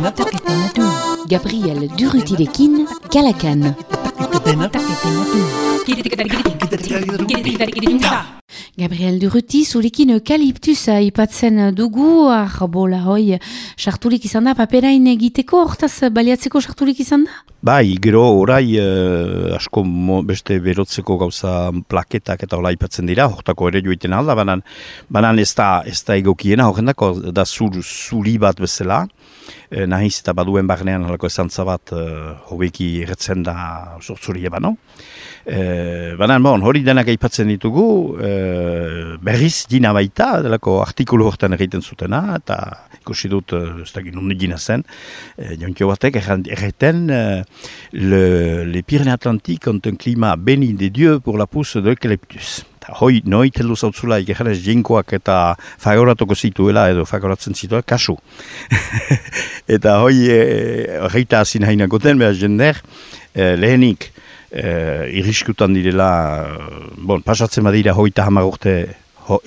Gabriel Durrutirekin, Kalakan. Gabriel Durruti, zurekin eukaliptusa ipatzen dugu, arbola hoi, sarturik izan da, paperain egiteko, hortaz baliatzeko sarturik izan da? Bai, gero orai asko beste berotzeko gauza plaketak eta hola ipatzen dira, hortako ere joiten alda, banan ez da egokiena, horrendako da zuri bat bezala, nahiz eta baduen barnean halako esantza bat hobeki erretzen da sortzuri ebano. Banan, hori denak aipatzen ditugu, berriz dina baita, delako artikulu hortan egiten zutena, eta ikusi dut, ez da ginundik dina zen, jonkio batek erreten, les Pyrénées-Atlantiques ont un climat béni des dieux pour la pousse de l'eucalyptus. Hoi, noit heldu zautzula ikerrenez jinkoak eta fagoratuko zituela edo fagoratzen zituela, kasu. Eta hoi, horreita hazin hainakoten, behar jender, lehenik, irriskutan direla, pasatzen badira hoita hamar urte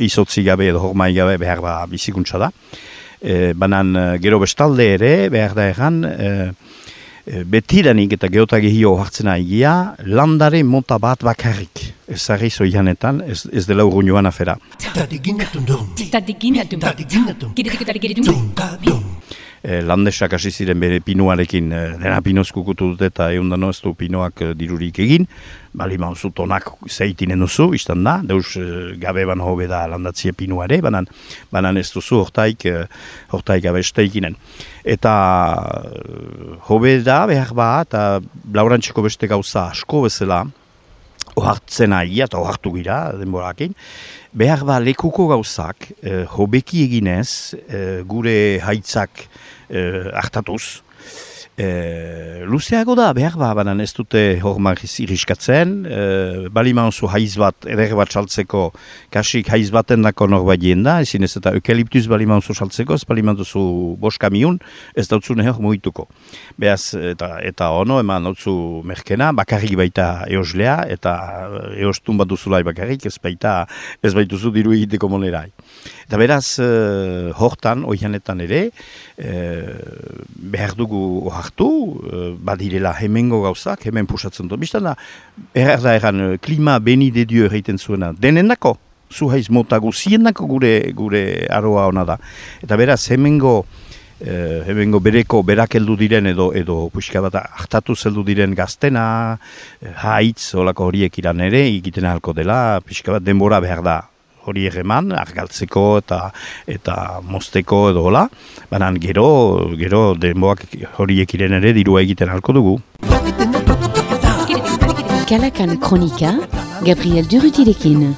izotzi gabe edo hormai gabe behar ba bizikuntza da. Banan gero bestalde ere, behar da egan, betiranik eta geotagihio hartzen egia, landare mota bat bakarrik. Ez zarri zoianetan, ez dela urruñoan afera. Landesak hasi ziren bere pinuarekin, dena pinoz kukutu dut eta eundano ez du pinoak dirurik egin, bali mauzu tonak zeitinen duzu, izan da, deus gabe ban hobe da landatzia pinuare, banan ez duzu hortaik abesteikinen. Eta hobe da, behar ba, eta laurantxeko beste gauza asko bezala, ohartzen aia eta ohartu gira denborakin, behar ba lekuko gauzak hobeki eginez gure haitzak hartatuz. Luzeago da, behar ba, banan ez dute hormariz iriskatzen, baliman zu haiz bat, eder bat saltzeko, kasik haiz baten dako norbait jenda, ezin ez eta eukaliptuz baliman zu saltzeko, ez baliman duzu bost kamiun, ez dautzu nehor muituko. Beaz, eta ono, eman dautzu merkena, bakarrik baita eoslea, eta eostun bat duzulai bakarrik, ez baituzu diru egiteko monerai. Eta beraz, hortan, oianetan ere, behar dugu hartu, badirela hemengo gauzak, hemen pusatzen dut. Bistan da, behar da eran, klima beni de dio egiten zuena, denendako, zu haiz mota guziendako gure aroa ona da. Eta beraz, hemengo bereko berak heldu diren edo puxka bat hartatu zeldu diren gaztena, haitz, olako horiek iran ere, egiten ahalko dela, puxka bat denbora behar da. Hori egeman, argaltzeko eta mozteko edo hola, banan gero denboak horiek iren ere dirua egiten halko dugu. Kalakan Kronika, Gabriel Durrutirekin.